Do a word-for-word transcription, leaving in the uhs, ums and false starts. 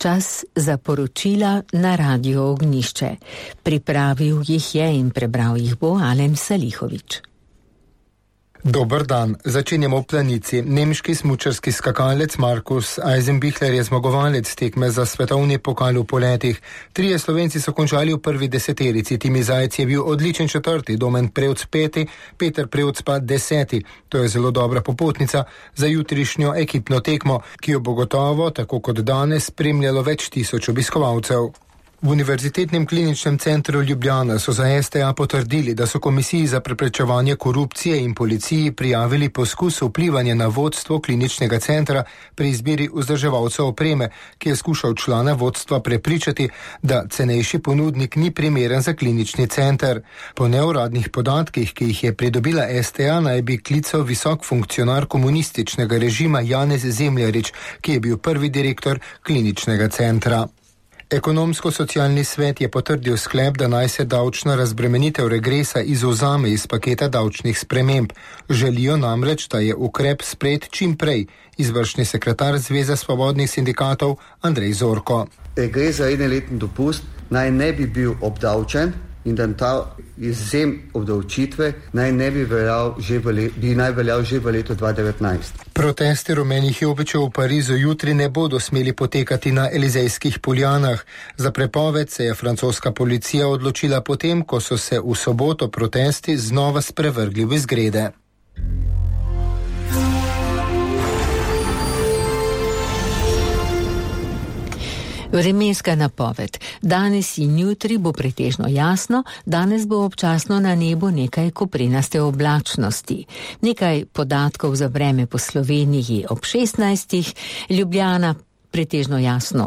Čas za poročila na Radio Ognjišče. Pripravil jih je in prebral jih bo Alen Salihovič. Dober dan, začenjamo v Planici. Nemški smučarski skakalec Markus Eisenbichler je zmagovalec tekme za svetovni pokal v poletih. Trije Slovenci so končali v prvi deseterici. Timi Zajec je bil odličen četrti, Domen Prevc peti, Peter Prevc pa deseti. To je zelo dobra popotnica za jutrišnjo ekipno tekmo, ki jo bo gotovo, tako kot danes, spremljalo več tisoč obiskovalcev. V Univerzitetnem kliničnem centru Ljubljana so za S T A potrdili, da so Komisiji za preprečevanje korupcije in policiji prijavili poskus vplivanja na vodstvo kliničnega centra pri izbiri vzdrževalcev opreme, ki je skušal člana vodstva prepričati, da cenejši ponudnik ni primeren za klinični center. Po neuradnih podatkih, ki jih je pridobila S T A, naj bi klical visok funkcionar komunističnega režima Janez Zemljarič, ki je bil prvi direktor kliničnega centra. Ekonomsko-socialni svet je potrdil sklep, da naj se davčna razbremenitev regresa izvzame iz paketa davčnih sprememb. Želijo namreč, da je ukrep sprejet čim prej. Izvršni sekretar Zveze svobodnih sindikatov Andrej Zorko. Regres za enoletni dopust naj ne bi bil obdavčen in da ta izvzem obdavčitve naj ne bi veljal že v, le, bi naj veljal že v letu dva tisoč devetnajst. Protesti rumenih jopičev v Parizu jutri ne bodo smeli potekati na Elizejskih poljanah. Za prepoved se je francoska policija odločila potem, ko so se v soboto protesti znova sprevrgli v izgrede. Vremenska napoved. Danes in jutri bo pretežno jasno, danes bo občasno na nebu nekaj koprenaste oblačnosti. Nekaj podatkov za vreme po Sloveniji ob šestnajstih, Ljubljana pretežno jasno